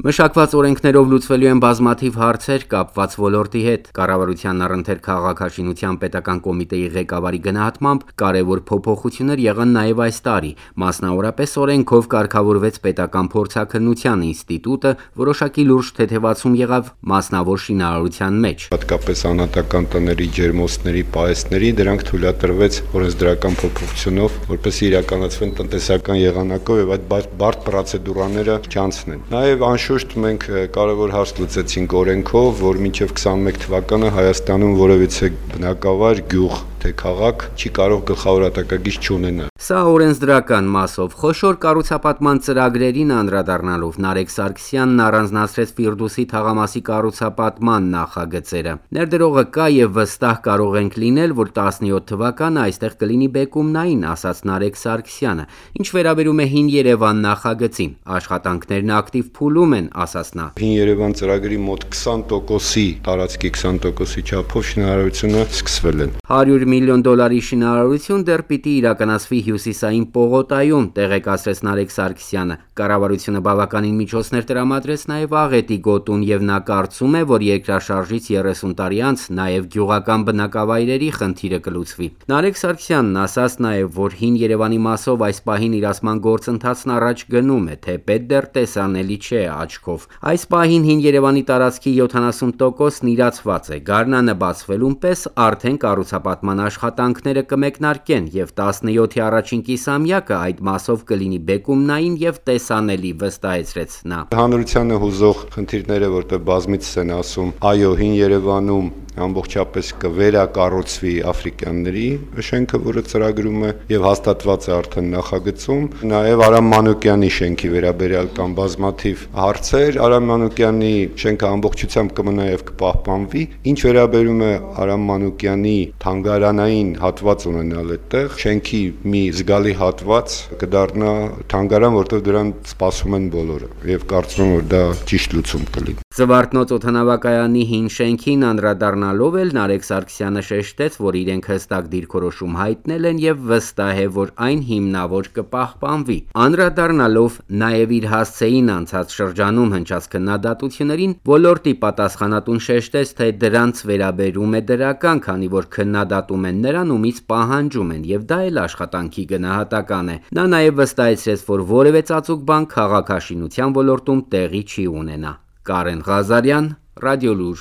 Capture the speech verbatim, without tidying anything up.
Մշակված օրենքներով լուծվելու են բազմաթիվ հարցեր կապված ոլորտի հետ։ Կառավարության առընթեր քաղաքաշինության պետական կոմիտեի ղեկավարի գնահատմամբ կարևոր փոփոխություններ եղան նաև այս տարի։ Մասնավորապես օրենքով կարգավորվեց պետական փորձաքննության ինստիտուտը, որոշակի լուրջ թեթևացում եղավ մասնավոր շինարարության մեջ։ Հատկապես անհատական տների ջերմոցների պահեստների դրանք թույլատրվեց օրենսդրական փոփոխությունով, որպեսզի իրականացվեն տնտեսական եղանակով եւ այդ բարդ պրոցեդուրաները չանցնեն։ Նաեւ անշուշտ մենք կարևոր հարց լուծեցինք օրենքով, որ մինչև քսանմեկ թվականը Հայաստանում որևիցե բնակավայր, գյուղ թե քաղաք չի կարող գլխավոր հատակագիծ չունենալ։ Սա օրենսդրական մասով խոշոր կառուցապատման ծրագրերին անդրադառնալով Նարեկ Սարգսյանն առանձնացրեց Ֆիրդուսի թաղամասի կառուցապատման նախագծերը։ Ներդրողը կա եւ վստահ կարող ենք լինել, որ տասնյոթ թվականը այստեղ կլինի բեկումնային, ասաց Նարեկ Սարգսյանը։ Ինչ վերաբերում է Հին Երևան նախագծին, աշխատանքներն ակտիվ փուլում են, ասաց նա։ Հին Երևան ծրագրի մոտ քսան տոկոսի տարածքի քսան տոկոսի չափով շինարարությունը սկսվել են։ հարյուր միլիոն դոլարի շինարարություն դեռ պիտի իրականացվի Հյուսիսային պողոտայում, տեղեկացրեց Նարեկ Սարգսյանը։ Կառավարությունը բավականին միջոցներ տրամադրեց նաև Աղետի գոտուն եւ նա կարծում է, որ երկրաշարժից երեսուն տարի անց նաև գյուղական բնակավայրերի խնդիրը կլուծվի։ Նարեկ Սարգսյանն ասաց նաև, որ Հին Երևանի մասով այս պահին իրացման գործընթացն առաջ գնում է, թեպետ դեռ տեսանելի չէ աչքով։ Այս պահին Հին Երևանի տարածքի յոթանասուն տոկոսն իրացված է։ Գարնանը բացվելուն պես արդեն կառուցապատման աշխատանքները կմեկնարկեն եւ տասնյոթի առաջին կիսամյակը այդ մասով կլինի բեկումնային եւ տեսանելի, վստահեցրեց նա։ Հանրությանը հուզող խնդիրները, որտեղ բազմիցս են ասում, այո, Հին Երևանում ամբողջապես կվերակառուցվի աֆրիկյանների շենքը, որը ծրագրում է եւ հաստատված է արդեն նախագծում։ Նաեւ Արամ Մանուկյանի շենքի վերաբերյալ կան բազմաթիվ հարցեր։ Արամ Մանուկյանի շենքը ամբողջությամբ կմնա եւ կպահպանվի։ Ինչ վերաբերում է Արամ Մանուկյանի թանգարանային հատված ունենալ այդտեղ, շենքի մի զգալի հատված կդառնա թանգարան, որտեղ դրան սպասում են բոլորը եւ կարծում եմ, որ դա ճիշտ լուծում կլինի։ Զվարթնոց օդանավակայանի հին շենքին անդրադառնալով էլ Նարեկ Սարգսյանը շեշտեց, որ իրենք հստակ դիրքորոշում հայտնել են եւ վստահ է, որ այն հիմնավոր կպահպանվի։ Անդրադառնալով նաեւ իր հասցեին անցած շրջանում հնչած քննադատություններին, ոլորտի պատասխանատուն շեշտեց, թե դրանց վերաբերում է դրական, քանի որ քննադատում են նրան, ումից պահանջում են եւ դա էլ աշխատանքի գնահատական է։ Նա նաեւ վստահեցրեց, որ որևէ ծածուկ բան քաղաքաշինության ոլորտում տեղի չի ունենա։ Կարեն Ղազարյան, Ռադիոլուր։